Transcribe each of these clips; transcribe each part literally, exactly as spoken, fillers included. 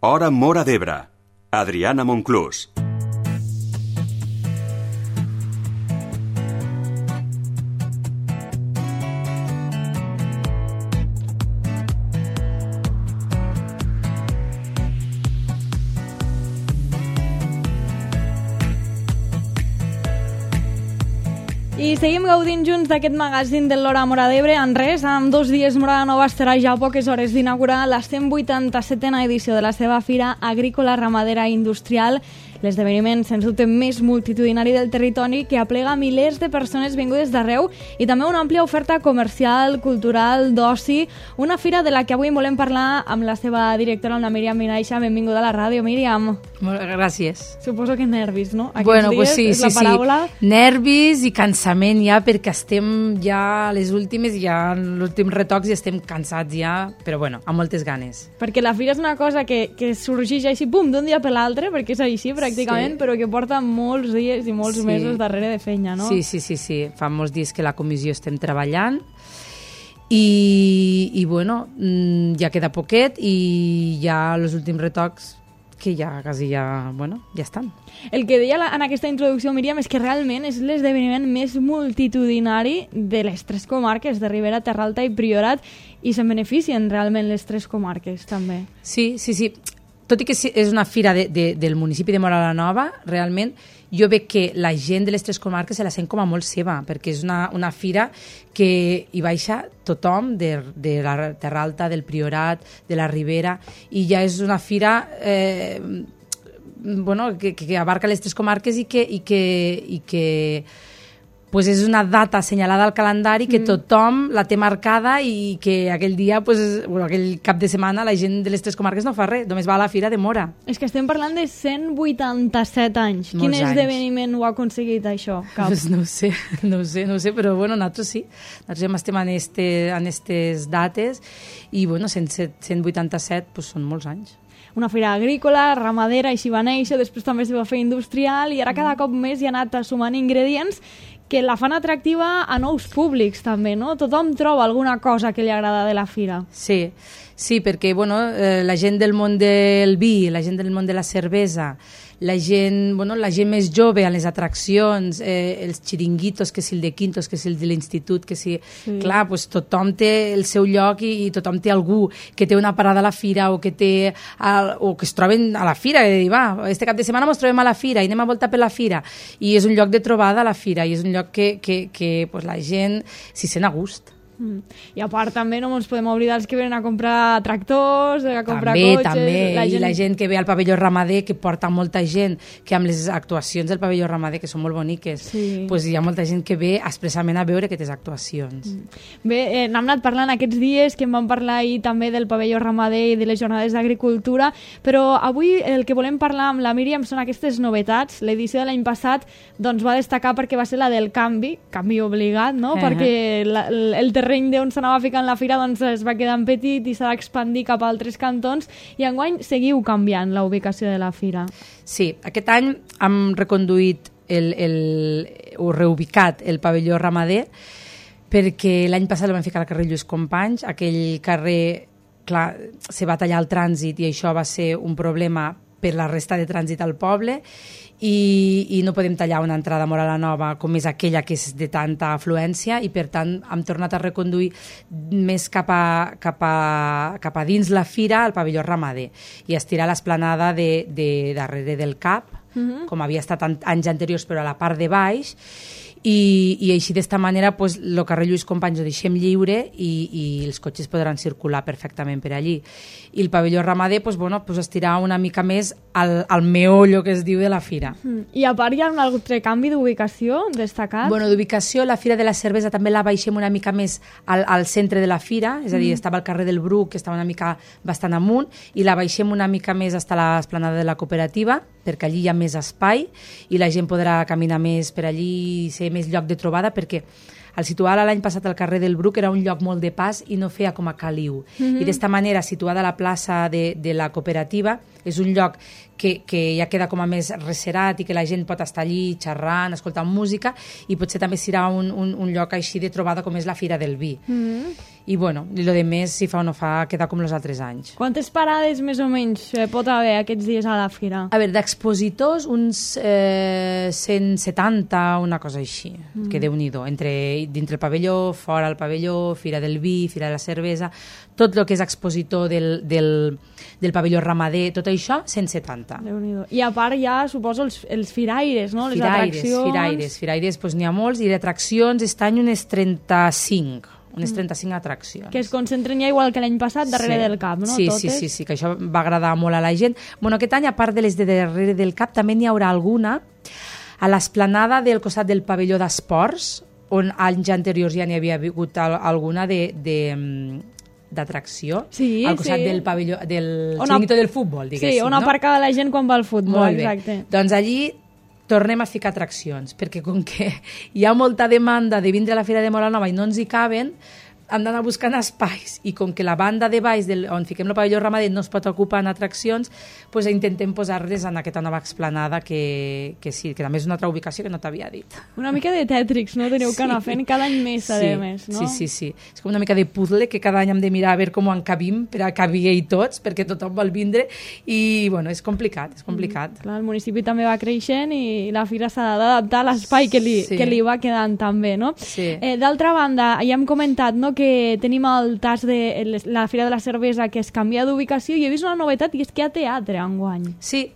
Hora Móra d'Ebre. Adriana Monclús. I seguim gaudint junts d'aquest magazín de l'Hora Móra d'Ebre. En res, en dos dies Móra Nova estarà ja a poques hores d'inaugurar la cent vuitanta-setena edició de la seva Fira Agrícola, Ramadera i Industrial, l'esdeveniment, sens dubte, més multitudinari del territori, que aplega milers de persones vingudes d'arreu i també una àmplia oferta comercial, cultural, d'oci. Una fira de la que avui volem parlar amb la seva directora, amb la Míriam Vinaixa. Benvinguda a la ràdio, Míriam. Molt gràcies. Suposo que nervis, no? Aquests bueno, dies, pues sí, és sí, la paraula. sí. Nervis i cansament ja, perquè estem ja a les últimes, ja en l'últim retocs i estem cansats ja, però bueno, amb moltes ganes. Perquè la fira és una cosa que, que sorgeix així, pum, d'un dia per l'altre, perquè és així pràcticament, sí. Però que porta molts dies i molts sí. mesos darrere de feina, no? Sí, sí, sí, sí. Fa molts dies que la comissió estem treballant i, i bueno, ja queda poquet i ja els últims retocs que ja quasi ja, bueno, ja estan. El que deia en aquesta introducció, Míriam, és que realment és l'esdeveniment més multitudinari de les tres comarques, de Ribera, Terra Alta i Priorat, i se'n beneficien realment les tres comarques, també. Sí, sí, sí. Tot i que és una fira de, de, del municipi de Móra la Nova, realment jo veig que la gent de les tres comarques se la sent com a molt seva, perquè és una, una fira que hi baixa tothom de, de la Terra Alta, del Priorat, de la Ribera, i ja és una fira eh, bueno, que, que abarca les tres comarques i que, i que, i que pues és una data assenyalada al calendari que tothom la té marcada i que aquell dia, pues, bueno, aquell cap de setmana, la gent de les tres comarques no fa res, només va a la Fira de Móra. És que estem parlant de cent vuitanta-set anys. Molts Quin anys. Esdeveniment ho ha aconseguit, això? Cap. Pues no ho sé, no ho sé, no ho sé, però bueno, nosaltres sí. Nosaltres estem en, este, en estes dates i bueno, cent vuitanta-set pues, són molts anys. Una fira agrícola, ramadera, així va néixer, després també es va fer industrial i ara cada cop més hi ha anat sumant ingredients que la fan atractiva a nous públics també, no? Tothom troba alguna cosa que li agrada de la fira. Sí, sí, perquè bueno, eh, la gent del món del vi, la gent del món de la cervesa, la gent, bueno, la gent més jove a les atraccions, eh, els xiringuitos, que si el de Quintos, que si el de l'institut, que si... Sí. Clar, pues, tothom té el seu lloc i, i tothom té algú que té una parada a la fira o que té el, o que es troben a la fira, i dir, va, este cap de setmana ens trobem a la fira i anem a voltar per la fira. I és un lloc de trobada a la fira i és un lloc que, que, que pues, la gent s'hi sent a gust. Mm. I a part també no ens podem oblidar els que venen a comprar tractors, a comprar també, cotxes... També, la i gent... la gent que ve al pavelló ramader, que porta molta gent, que amb les actuacions del pavelló ramader, que són molt boniques, sí. Pues hi ha molta gent que ve expressament a veure aquestes actuacions. Mm. Bé, eh, n'hem anat parlant aquests dies, que en vam parlar ahir també del pavelló ramader i de les jornades d'agricultura, però avui el que volem parlar amb la Míriam són aquestes novetats. L'edició de l'any passat doncs, va destacar perquè va ser la del canvi, canvi obligat, no? Uh -huh. Perquè la, el terreny d'on s'anava ficant la fira doncs, es va quedar en petit i s'ha d'expandir cap a altres cantons i enguany seguiu canviant la ubicació de la fira. Sí, aquest any hem reconduït el, el, o reubicat el pavelló ramader perquè l'any passat el vam ficar al carrer Lluís Companys, aquell carrer, clar, se va tallar el trànsit i això va ser un problema per la resta de trànsit al poble i, i no podem tallar una entrada a Móra la Nova com és aquella que és de tanta afluència i per tant hem tornat a reconduir més cap a, cap a, cap a dins la fira al pavelló ramader i estirar l'esplanada de, de darrere del cap, uh-huh. com havia estat anys anteriors però a la part de baix i, i així d'esta manera pues, el carrer Lluís Companys ho deixem lliure i, i els cotxes podran circular perfectament per allí. I el pavelló ramader pues, bueno, pues, estirar una mica més al, al meollo que es diu de la fira. Mm. I a part hi ha un altre canvi d'ubicació destacat? Bueno, d'ubicació, la Fira de la Cervesa també la baixem una mica més al, al centre de la fira, és a dir, mm. estava al carrer del Bruc, que estava una mica bastant amunt, i la baixem una mica més fins a l'esplanada de la cooperativa, perquè allí hi ha més espai i la gent podrà caminar més per allí i ser més lloc de trobada, perquè al situar l'any passat al carrer del Bruc era un lloc molt de pas i no feia com a caliu. Mm-hmm. I d'esta manera, situada a la plaça de, de la cooperativa, és un lloc que, que ja queda com a més recerat i que la gent pot estar allí xerrant, escoltant música, i potser també serà un, un, un lloc així de trobada com és la Fira del Vi. Mm-hmm. I bueno, i lo de més, si fa o no fa, queda com els altres anys. Quantes parades més o menys pot haver aquests dies a la fira? A veure, d'expositors uns eh, cent setanta, una cosa així, mm. que Déu-n'hi-do, entre, dintre el pavelló, fora el pavelló, Fira del Vi, Fira de la Cervesa, tot el que és expositor del, del, del pavelló ramader, tot això, cent setanta. Déu-n'hi-do. I a part ja, suposo, els, els firaires, no? Les Firaires, atraccions... firaires, firaires, doncs n'hi ha molts, i d'atraccions, aquest any unes trenta-cinc. Unes trenta-cinc atraccions. Que es concentren ja igual que l'any passat darrere sí. del cap, no? Sí, Totes? sí, sí, sí, que això va agradar molt a la gent. Bueno, aquest any, a part de les de darrere del cap, també n'hi haurà alguna a l'esplanada del costat del pavelló d'esports, on anys anteriors ja n'hi havia hagut alguna de... de d'atracció, sí, al costat sí. del pavelló, del on xiringuito del futbol, diguéssim. Sí, on no? aparcava la gent quan va al futbol, molt bé. exacte. Doncs allí tornem a ficar atraccions, perquè com que hi ha molta demanda de vindre a la Fira de Móra Nova i no ens hi caben, hem d'anar buscant espais, i com que la banda de baix del, on fiquem el pavelló ramader no es pot ocupar en atraccions, pues intentem posar-les en aquesta nova explanada que, que sí, que també és una altra ubicació que no t'havia dit. Una mica de Tètrix, no? Teniu sí. que anar fent cada any més, a sí. més, no? Sí, sí, sí. És com una mica de puzzle que cada any hem de mirar a veure com encabim per a cabir tots, perquè tothom vol vindre, i bueno, és complicat, és complicat. Mm, clar, el municipi també va creixent i la fira s'ha d'adaptar a l'espai que, li, sí. que li va quedant també, no? Sí. Eh, D'altra banda, ja hem comentat, no?, que tenim el tas de la Fira de la Cervesa que es canvia d'ubicació, i he vist una novetat, i és que hi ha teatre enguany. Sí,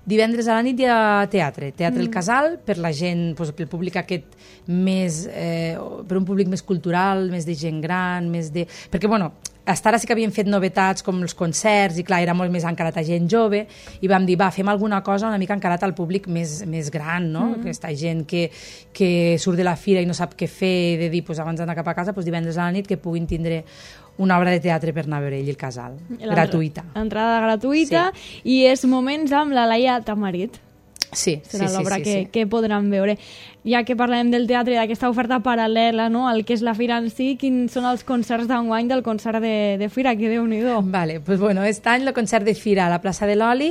divendres a la nit hi ha teatre, Teatre Mm. El Casal, per la gent, doncs, pel públic aquest més, eh, per un públic més cultural, més de gent gran, més de... Perquè, bueno, fins ara sí que havíem fet novetats com els concerts, i clar, era molt més encarat a gent jove, i vam dir, va, fem alguna cosa una mica encarat al públic més, més gran, no? Mm. Aquesta gent que, que surt de la fira i no sap què fer, de dir, pues, abans d'anar cap a casa, pues, divendres a la nit que puguin tindre una obra de teatre per anar a veure ell, El Casal, gratuïta. Entrada gratuïta, sí. I és Moments amb la Laia Tamarit. Sí, serà sí, l'obra sí, que, sí. que podran veure. Ja que parlem del teatre i d'aquesta oferta paral·lela, no?, al que és la fira en si, quins són els concerts d'enguany del concert de, de fira? Que Déu-n'hi-do. Vale, pues bueno, aquest any el concert de fira a la plaça de l'Oli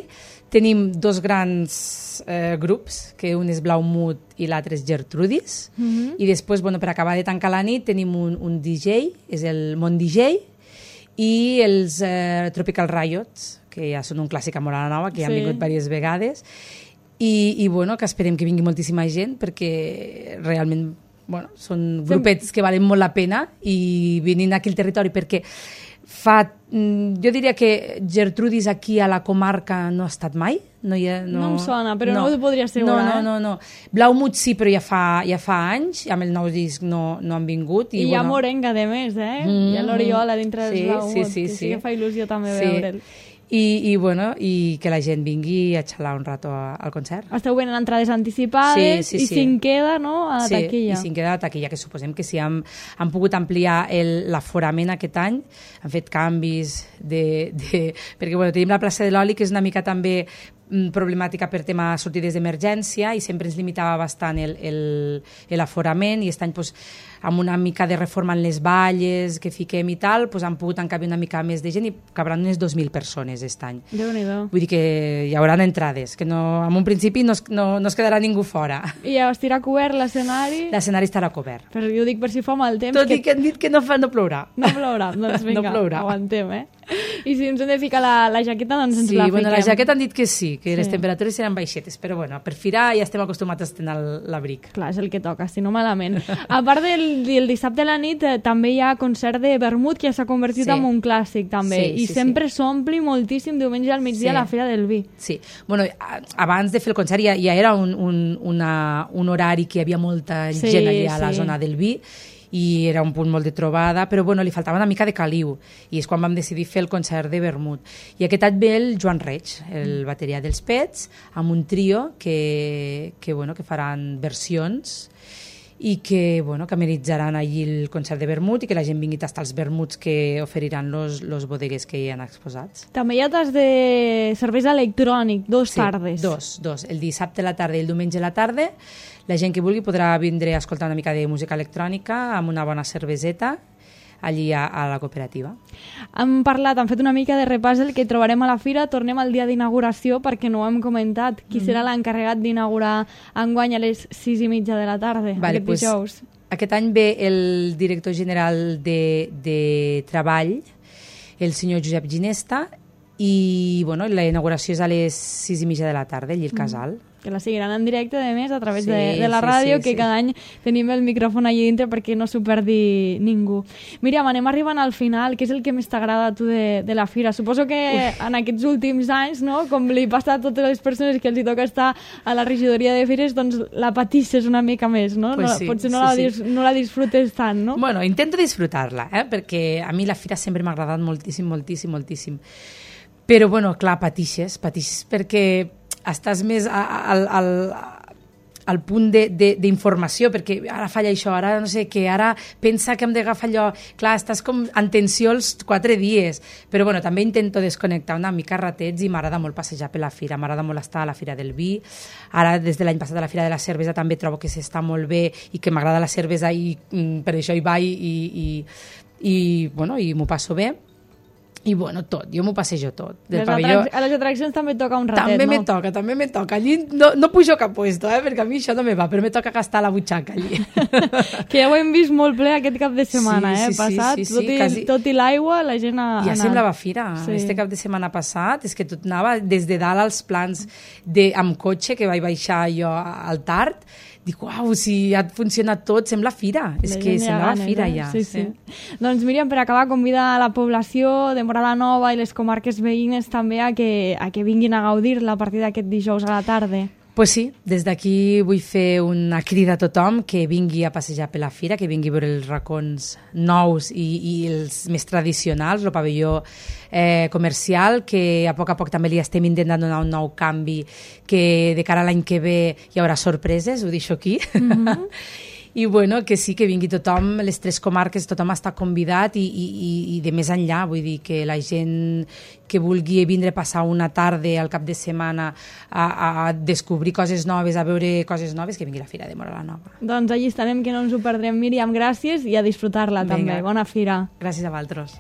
tenim dos grans eh, grups, que un és Blaumut i l'altre és Gertrudis, mm-hmm. i després, bueno, per acabar de tancar la nit, tenim un, un D J, és el Mont D J, i els eh, Tropical Riots, que ja són un clàssic a Móra Nova, que sí. Han vingut diverses vegades, i, i bueno, que esperem que vingui moltíssima gent, perquè realment bueno, són grupets que valen molt la pena, i venint aquí al territori, perquè fa, jo diria que Gertrudis aquí a la comarca no ha estat mai. No, ha, no, no em sona, però no, no ho podria No, assegurar. no, no, no. Blaumut sí, però ja fa, ja fa anys, amb el nou disc no, no han vingut. I, I hi ha bueno... morenga, de més, eh? Mm, hi ha l'Oriola dintre sí, dels Blaumut, sí, sí, que sí. sí que fa il·lusió també sí. veure'l. I, i, bueno, i que la gent vingui a xalar un rato a, al concert. Esteu venent entrades anticipades, sí, sí, i sí. si en queda, no?, a la sí, taquilla. I si en queda a la taquilla, que suposem que si han, han pogut ampliar l'aforament aquest any, han fet canvis de... de perquè, bueno, tenim la plaça de l'Oli, que és una mica també problemàtica per tema sortides d'emergència, i sempre ens limitava bastant l'aforament, i aquest any, pues, amb una mica de reforma en les valles que fiquem i tal, pues, han pogut encabir una mica més de gent, i cabran unes dos mil persones aquest any. Déu-n'hi-do. Vull dir que hi haurà entrades, que no, en un principi no es, no, no es quedarà ningú fora. I ja estirà cobert l'escenari? L'escenari estarà cobert. Però jo dic per si fa mal temps. Tot que... i que han dit que no, fa, no plourà. No plourà, doncs vinga, no plourà. Aguantem, eh? I si ens hem de ficar la, la jaqueta, doncs ens sí, la bueno, fiquem. la jaqueta han dit que sí, que sí. Les temperatures seran baixetes, però bueno, per firar ja estem acostumats a estrenar l'abric. Clar, és el que toca, si no malament. A part del, del dissabte a la nit, eh, també hi ha concert de vermut, que ja s'ha convertit sí. en un clàssic, també. Sí, I sí, sempre sí. s'ompli moltíssim diumenge al migdia sí. a la Fira del Vi. Sí. Bueno, abans de fer el concert ja, ja era un, un, una, un horari que hi havia molta sí, gent allà a la sí. zona del Vi, i era un punt molt de trobada, però bueno, li faltava una mica de caliu, i és quan vam decidir fer el concert de vermut. I aquest any ve el Joan Reig, el bateria dels Pets, amb un trio que, que, bueno, que faran versions, i que, bueno, que amenitzaran allí el concert de vermut i que la gent vingui a tastar els vermuts que oferiran los, los bodeguers que hi han exposats. També hi ha tas de cervesa electrònic, dos Sí, tardes. dos, dos. El dissabte a la tarda i el diumenge a la tarda. La gent que vulgui podrà vindre a escoltar una mica de música electrònica amb una bona cerveseta allí a, a la cooperativa. Hem parlat, hem fet una mica de repàs del que trobarem a la fira. Tornem al dia d'inauguració perquè no ho hem comentat. Qui mm. serà l'encarregat d'inaugurar enguany a les sis i mitja de la tarda, Vale, aquest pues, dijous? Aquest any ve el director general de, de Treball, el senyor Josep Ginesta, i bueno, la inauguració és a les sis i mitja de la tarda, allí al casal. Mm. Que la seguiran en directe, a més, a través Sí, de, de la sí, ràdio, sí, que sí. cada any tenim el micròfon allà dintre perquè no s'ho perdi ningú. Míriam, anem arribant al final. Què és el que més t'agrada a tu de, de la fira? Suposo que Ui. en aquests últims anys, no, com li passa a totes les persones que els hi toca estar a la regidoria de fires, doncs la patisses una mica més, no? Pues no sí, potser no, sí, la, sí. dis, no la disfrutes tant, no? Bueno, intento disfrutar-la, eh? Perquè a mi la fira sempre m'ha agradat moltíssim, moltíssim, moltíssim. Però, bueno, clar, patixes, patixes perquè estàs més al, al, al punt d'informació, perquè ara falla això, ara no sé què, ara pensa que hem d'agafar allò. Clar, estàs com en tensió els quatre dies, però bueno, també intento desconnectar una mica ratets i m'agrada molt passejar per la fira, m'agrada molt estar a la Fira del Vi. Ara, des de l'any passat a la Fira de la Cervesa també trobo que s'està molt bé i que m'agrada la cervesa i mm, per això hi vaig i, i, i, bueno, i m'ho passo bé. I bueno, tot, jo m'ho passejo tot. Del Les pavelló... atrac a les atraccions també toca un ratet, també no? me toca, també me toca. Allí no, no pujo cap puesto, eh, perquè a mi això no me va, però me toca gastar la butxaca allí. Que ja ho hem vist molt ple aquest cap de setmana, Sí, eh? sí, Passat, sí, sí, tot, i, quasi- tot i l'aigua, la gent ha Ja anat. semblava fira. Sí. Este cap de setmana passat és que tot anava des de dalt als plans de, amb cotxe, que vaig baixar jo al Tard. Dic, uau, si ha funcionat tot, sembla fira. És La que gent ja semblava ganes, fira eh? ja. Sí, sí. Doncs Míriam, per acabar, convida a la població de Morada Nova i les comarques veïnes també a que, a que vinguin a gaudir-la a partir d'aquest dijous a la tarda. Pues sí, des d'aquí vull fer una crida a tothom que vingui a passejar per la fira, que vingui a veure els racons nous i, i els més tradicionals, el pavelló eh, comercial, que a poc a poc també li estem intentant donar un nou canvi, que de cara a l'any que ve hi haurà sorpreses, ho deixo aquí. Mm-hmm. I bueno, que sí, que vingui tothom, les tres comarques, tothom està convidat i, i, i de més enllà, vull dir que la gent que vulgui vindre a passar una tarda al cap de setmana a, a descobrir coses noves, a veure coses noves, que vingui a la Fira de Morada Nova. Doncs allí estarem, que no ens ho perdrem. Míriam, gràcies i a disfrutar-la també. Bona fira. Gràcies a vosaltres.